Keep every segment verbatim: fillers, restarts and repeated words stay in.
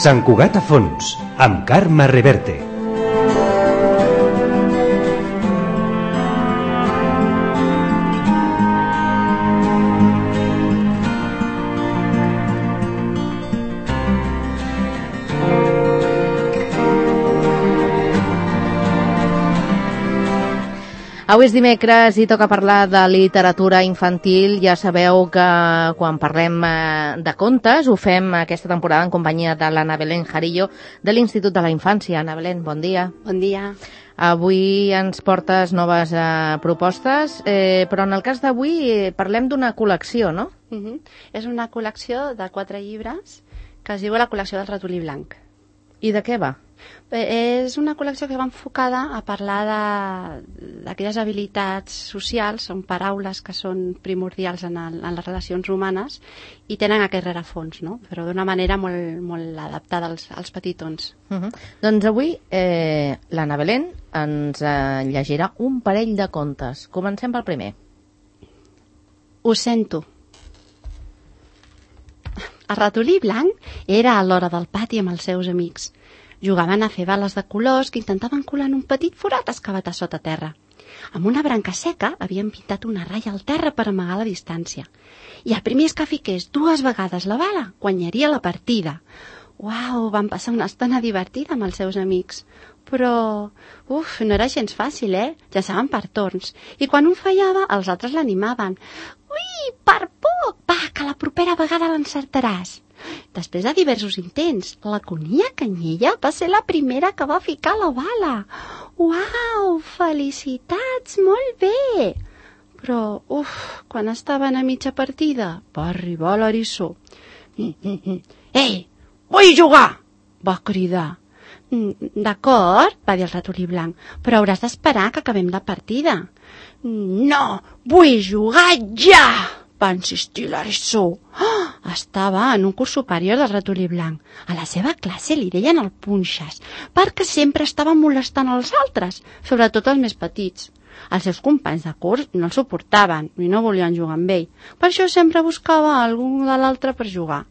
Sant Cugat a fons, amb Carme Reverte. Avui és dimecres i toca parlar de literatura infantil. Ja sabeu que quan parlem de contes ho fem aquesta temporada en companyia de l'Anna Belén Jarillo de l'Institut de la Infància. Anna Belén, bon dia. Bon dia. Avui ens portes noves eh, propostes, eh, però en el cas d'avui eh, parlem d'una col·lecció, no? Uh-huh. És una col·lecció de quatre llibres que es diu la col·lecció del ratolí blanc. I de què va? Bé, és una col·lecció que va enfocada a parlar d'aquelles habilitats socials, són paraules que són primordials en, el, en les relacions humanes i tenen aquest rerefons, no? Però d'una manera molt, molt adaptada als, als petitons. Uh-huh. Doncs avui eh, l'Anna Belén ens eh, llegirà un parell de contes. Comencem pel primer. Ho sento. El ratolí blanc era a l'hora del pati amb els seus amics. Jugaven a fer bales de colors que intentaven colar en un petit forat excavat a sota terra. Amb una branca seca havien pintat una ratlla al terra per amagar la distància. I el primer que fiqués dues vegades la bala guanyaria la partida. Uau, van passar una estona divertida amb els seus amics. Però, uf, no era gens fàcil, eh? Llançaven per torns. I quan un fallava, els altres l'animaven. Ui, per poc! Va, que la propera vegada l'encertaràs. Després de diversos intents, la conilla Canyella va ser la primera que va ficar la bala. Uau, felicitats, molt bé! Però, uf, quan estaven a mitja partida, va arribar l'eriçó. Mm, mm, mm. Ei, vull jugar! Va cridar. D'acord, va dir el ratolí blanc, però hauràs d'esperar que acabem la partida. No, vull jugar ja! Va insistir l'eriçó. Oh, estava en un curs superior del ratolí blanc. A la seva classe li deien el punxes, perquè sempre estava molestant els altres, sobretot els més petits. Els seus companys de curs no el suportaven i no volien jugar amb ell. Per això sempre buscava algú de l'altre per jugar.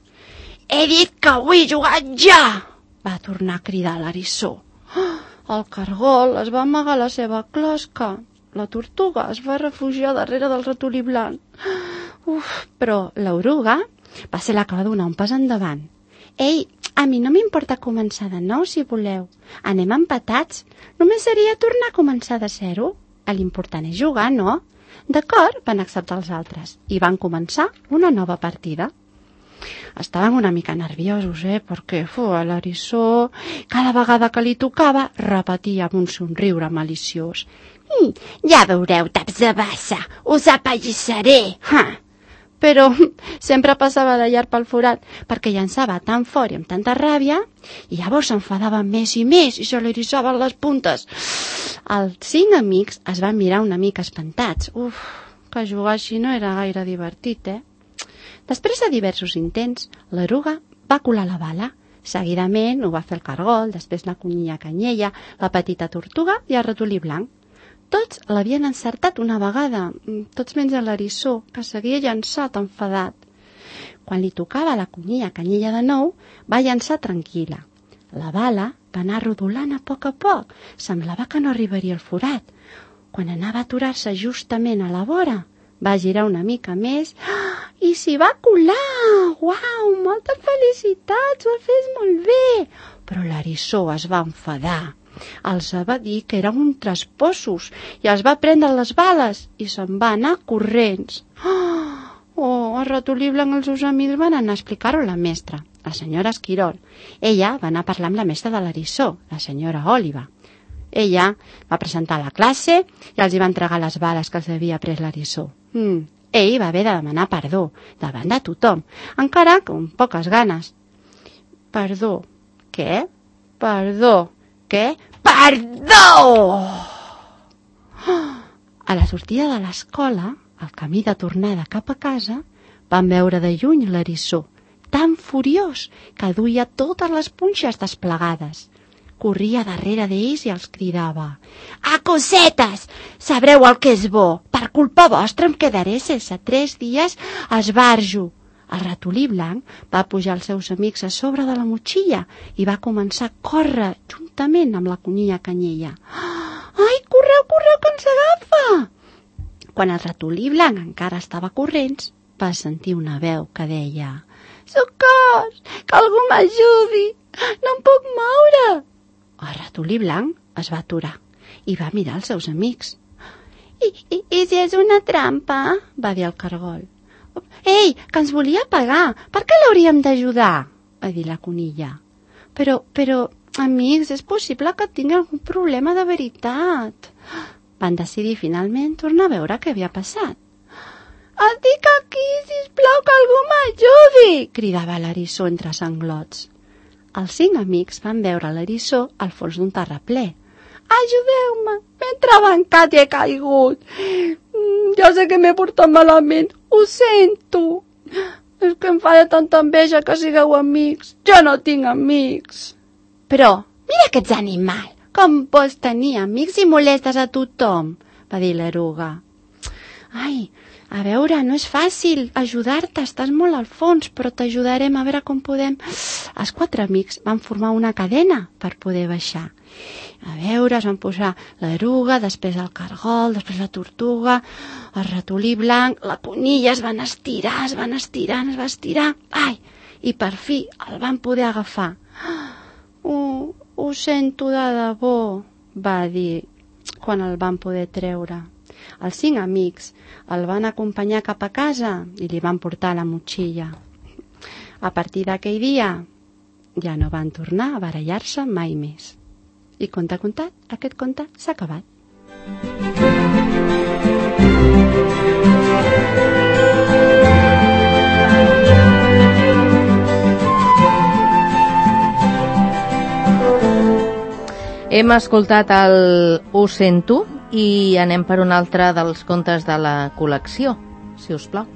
He dit que vull jugar ja! Va tornar a cridar l'eriçó. Oh, el cargol es va amagar a la seva closca. La tortuga es va refugiar darrere del ratolí blanc. Uf, però l'oruga va ser la que va donar un pas endavant. Ei, a mi no m'importa començar de nou, si voleu. Anem empatats. Només seria tornar a començar de zero. L'important és jugar, no? D'acord, van acceptar els altres. I van començar una nova partida. Estaven una mica nerviosos, eh? Perquè fu, l'eriçó, cada vegada que li tocava, repetia amb un somriure maliciós. Mm, ja veureu, taps de bassa, us apallissaré. Ha! Però sempre passava de llarg pel forat, perquè llançava tan fort i amb tanta ràbia, i llavors s'enfadava més i més i se li erissaven les puntes. Els cinc amics es van mirar una mica espantats. Uf, que jugar així no era gaire divertit, eh? Després de diversos intents, l'eruga va colar la bala. Seguidament ho va fer el cargol, després la conilla Canyella, la petita tortuga i el ratolí blanc. Tots l'havien encertat una vegada, tots menys l'eriçó, que seguia llançat enfadat. Quan li tocava la conilla Canyella de nou, va llançar tranquil·la. La bala va anar rodolant a poc a poc, semblava que no arribaria al forat. Quan anava a aturar-se justament a la vora, va girar una mica més i s'hi va colar. Uau, moltes felicitats, ho has fet molt bé. Però l'eriçó es va enfadar. Els va dir que eren uns traspossos i els va prendre les bales i se'n va anar corrents. Oh, el ratolí blanc i els seus amics van anar a explicar-ho a la mestra, la senyora Esquirol. Ella va anar a parlar amb la mestra de l'eriçó, la senyora Òliva. Ella va presentar la classe i els hi va entregar les bales que els havia pres l'eriçó. Mm. Ell va haver de demanar perdó davant de tothom, encara que amb poques ganes. Perdó. Què? Perdó. Què? Perdó! A la sortida de l'escola, al camí de tornada cap a casa, van veure de lluny l'eriçó, tan furiós que duia totes les punxes desplegades. Corria darrere d'ells i els cridava: «A cosetes! Sabreu el que és bo! Per culpa vostra em quedaré sense tres dies a esbarjo. El ratolí blanc va pujar els seus amics a sobre de la motxilla i va començar a córrer juntament amb la conilla Canyella. Ai, correu, correu, que ens agafa! Quan el ratolí blanc encara estava corrents, va sentir una veu que deia: Socors! Que algú m'ajudi! No em puc moure! El ratolí blanc es va aturar i va mirar els seus amics. I, i, i si és una trampa? Va dir el cargol. Ei, que ens volia pagar! Per què l'hauríem d'ajudar? Va dir la conilla. Però, però, amics, és possible que tingui algun problema de veritat. Van decidir finalment tornar a veure què havia passat. Estic aquí, sisplau, que algú m'ajudi! Cridava l'eriçó entre sanglots. Els cinc amics van veure l'eriçó al fons d'un terraplè. Ajudeu-me, m'he entrebancat i he caigut. Mm, ja sé que m'he portat malament, ho sento. És que em fa tanta enveja que sigueu amics. Jo no tinc amics. Però, mira que ets animal. Com pots tenir amics si molestes a tothom? Va dir l'eruga. Ai, a veure, no és fàcil ajudar-te, estàs molt al fons, però t'ajudarem a veure com podem... Els quatre amics van formar una cadena per poder baixar. A veure, es van posar l'eruga, després el cargol, després la tortuga, el ratolí blanc, la conilla, es van estirar, es van estirar, es va estirar. Ai, i per fi el van poder agafar. Ho, ho sento de debò, va dir quan el van poder treure. Els cinc amics el van acompanyar cap a casa i li van portar la motxilla. A partir d'aquell dia ja no van tornar a barallar-se mai més. I conte contat, aquest conte s'ha acabat. Hem escoltat el Ho sento i anem per un altre dels contes de la col·lecció, si us plau.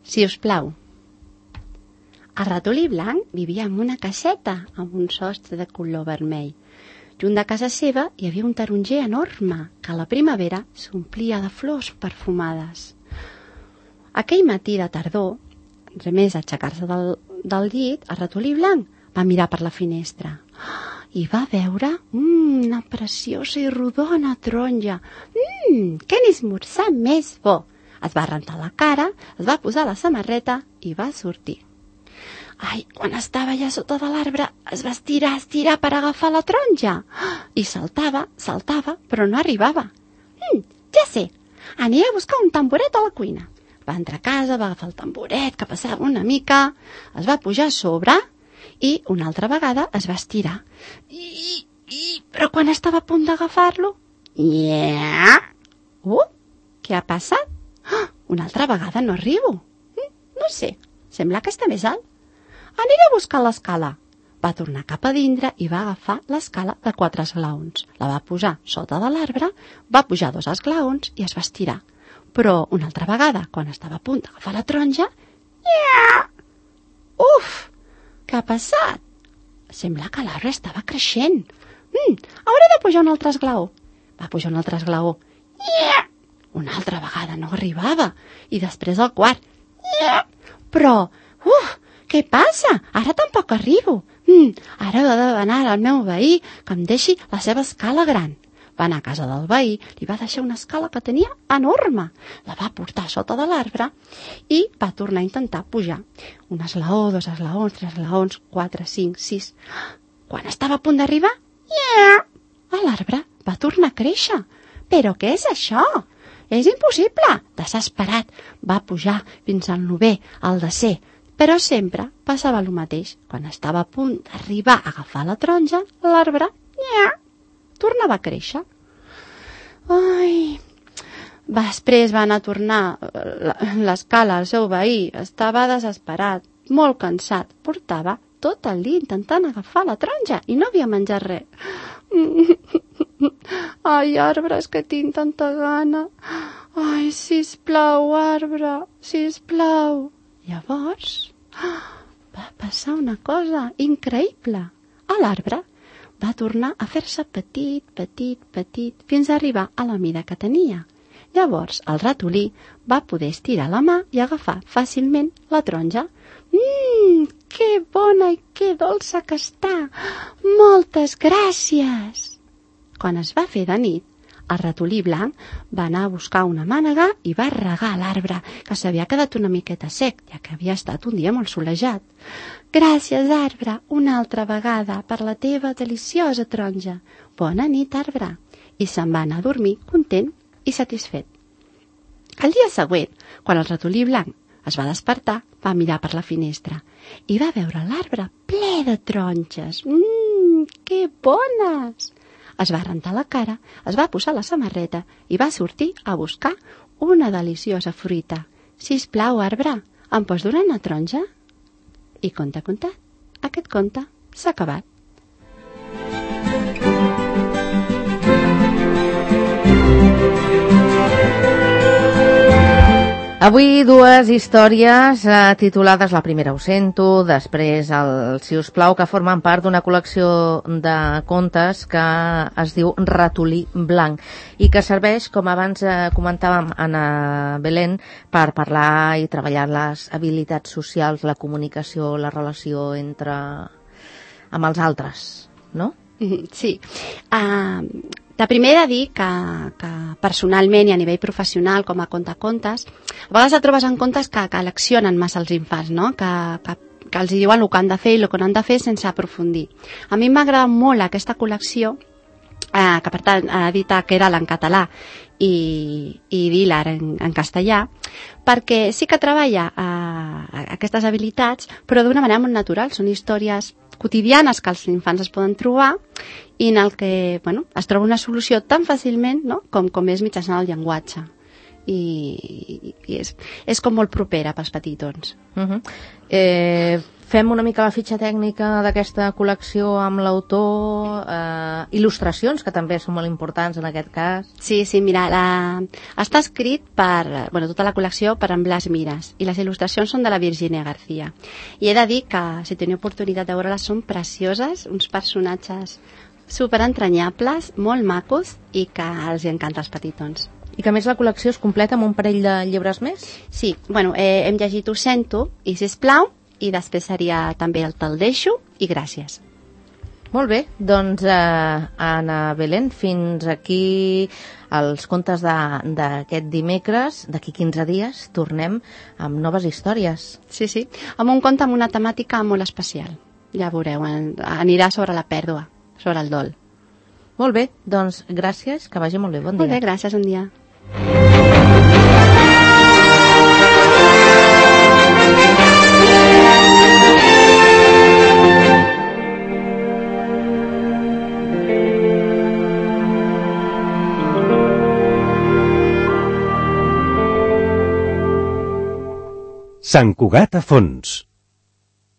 Si us plau. El ratolí blanc vivia en una caseta amb un sostre de color vermell. Junt de casa seva hi havia un taronger enorme que a la primavera s'omplia de flors perfumades. Aquell matí de tardor, res més aixecar-se del, del llit, el ratolí blanc va mirar per la finestra i va veure mm, una preciosa i rodona taronja. Mmm, que esmorzar més bo! Es va rentar la cara, es va posar la samarreta i va sortir. Ai, quan estava ja sota de l'arbre, es va estirar, estirar per agafar la taronja. I saltava, saltava, però no arribava. Mm, ja sé, aniré a buscar un tamboret a la cuina. Va entrar a casa, va agafar el tamboret, que passava una mica, es va pujar a sobre i una altra vegada es va estirar. I, i, però quan estava a punt d'agafar-lo... Yeah. Uh, què ha passat? Oh, una altra vegada no arribo. Mm, no sé, sembla que està més alt. Aniré a buscar l'escala. Va tornar cap a dintre i va agafar l'escala de quatre esglaons. La va posar sota de l'arbre, va pujar dos esglaons i es va estirar. Però una altra vegada, quan estava a punt d'agafar la taronja... Yeah! Uf! Què ha passat? Sembla que l'arbre estava creixent. Mm, hauré de pujar un altre esglaó. Va pujar un altre esglaó. Yeah! Una altra vegada no arribava. I després el quart. Yeah! Però, uf! Què passa? Ara tampoc arribo. Mm, ara he d'anar al meu veí que em deixi la seva escala gran. Va anar a casa del veí, li va deixar una escala que tenia enorme. La va portar sota de l'arbre i va tornar a intentar pujar. Un esglaó, dos esglaons, tres esglaons, quatre, cinc, sis... Quan estava a punt d'arribar, yeah! L'arbre va tornar a créixer. Però què és això? És impossible! Desesperat, va pujar fins al novè, al desè. Però sempre passava el mateix. Quan estava a punt d'arribar a agafar la taronja, l'arbre, nya, tornava a créixer. Ai... Després va anar a tornar l'escala al seu veí. Estava desesperat, molt cansat. Portava tot el dia intentant agafar la taronja i no havia menjat res. Ai, arbre, és que tinc tanta gana. Ai, sisplau, arbre, sisplau. Llavors va passar una cosa increïble. L'arbre va tornar a fer-se petit, petit, petit, fins a arribar a la mida que tenia. Llavors el ratolí va poder estirar la mà i agafar fàcilment la taronja. Mmm, que bona i que dolça que està! Moltes gràcies! Quan es va fer de nit, el ratolí blanc va anar a buscar una mànega i va regar l'arbre, que s'havia quedat una miqueta sec, ja que havia estat un dia molt solejat. Gràcies, arbre, una altra vegada per la teva deliciosa taronja. Bona nit, arbre. I se'n va anar a dormir content i satisfet. El dia següent, quan el ratolí blanc es va despertar, va mirar per la finestra i va veure l'arbre ple de taronges. Mmm, que bones! Es va rentar la cara, es va posar la samarreta i va sortir a buscar una deliciosa fruita. Sisplau, arbre, em pots donar una taronja? I conte contat, aquest conte s'ha acabat. Avui dues històries eh, titulades, la primera ho sento, després el Si us plau, que formen part d'una col·lecció de contes que es diu Ratolí Blanc i que serveix, com abans eh, comentàvem Anna Belén, per parlar i treballar les habilitats socials, la comunicació, la relació entre amb els altres, no? Sí. Uh, de primer he de dir que, que personalment i a nivell professional com a contacontes, a vegades et trobes en contes que, que eleccionen massa els infants, no? que, que, que els diuen el que han de fer i el que no han de fer sense aprofundir. A mi m'agrada molt aquesta col·lecció, eh, que per tant ha dit que era en català i, i Vilar en, en castellà, perquè sí que treballa eh, aquestes habilitats, però d'una manera molt natural. Són històries quotidianes que els infants es poden trobar i en el que bueno, es troba una solució tan fàcilment, no? com, com és mitjançant el llenguatge. I, i és, és com molt propera pels petitons. Uh-huh. eh, fem una mica la fitxa tècnica d'aquesta col·lecció amb l'autor, eh, il·lustracions, que també són molt importants en aquest cas. Sí, sí, mira, la... està escrit per, bueno, tota la col·lecció per en Blas Miras i les il·lustracions són de la Virginia García. I he de dir que, si teniu oportunitat de veure-les, són precioses, uns personatges superentranyables, molt macos i que els encanta als petitons. I que més la col·lecció es completa amb un parell de llibres més? Sí, bueno, eh, hem llegit Ho sento i Sisplau, i després seria també el Te'l deixo i Gràcies. Molt bé, doncs eh, Anna Belén, fins aquí els contes d'aquest dimecres. D'aquí quinze dies tornem amb noves històries. Sí, sí, amb un conte amb una temàtica molt especial. Ja veureu, anirà sobre la pèrdua, sobre el dol. Molt bé, doncs gràcies, que vagi molt bé, bon dia. Molt bé, gràcies, un dia. Sant Cugat a fons.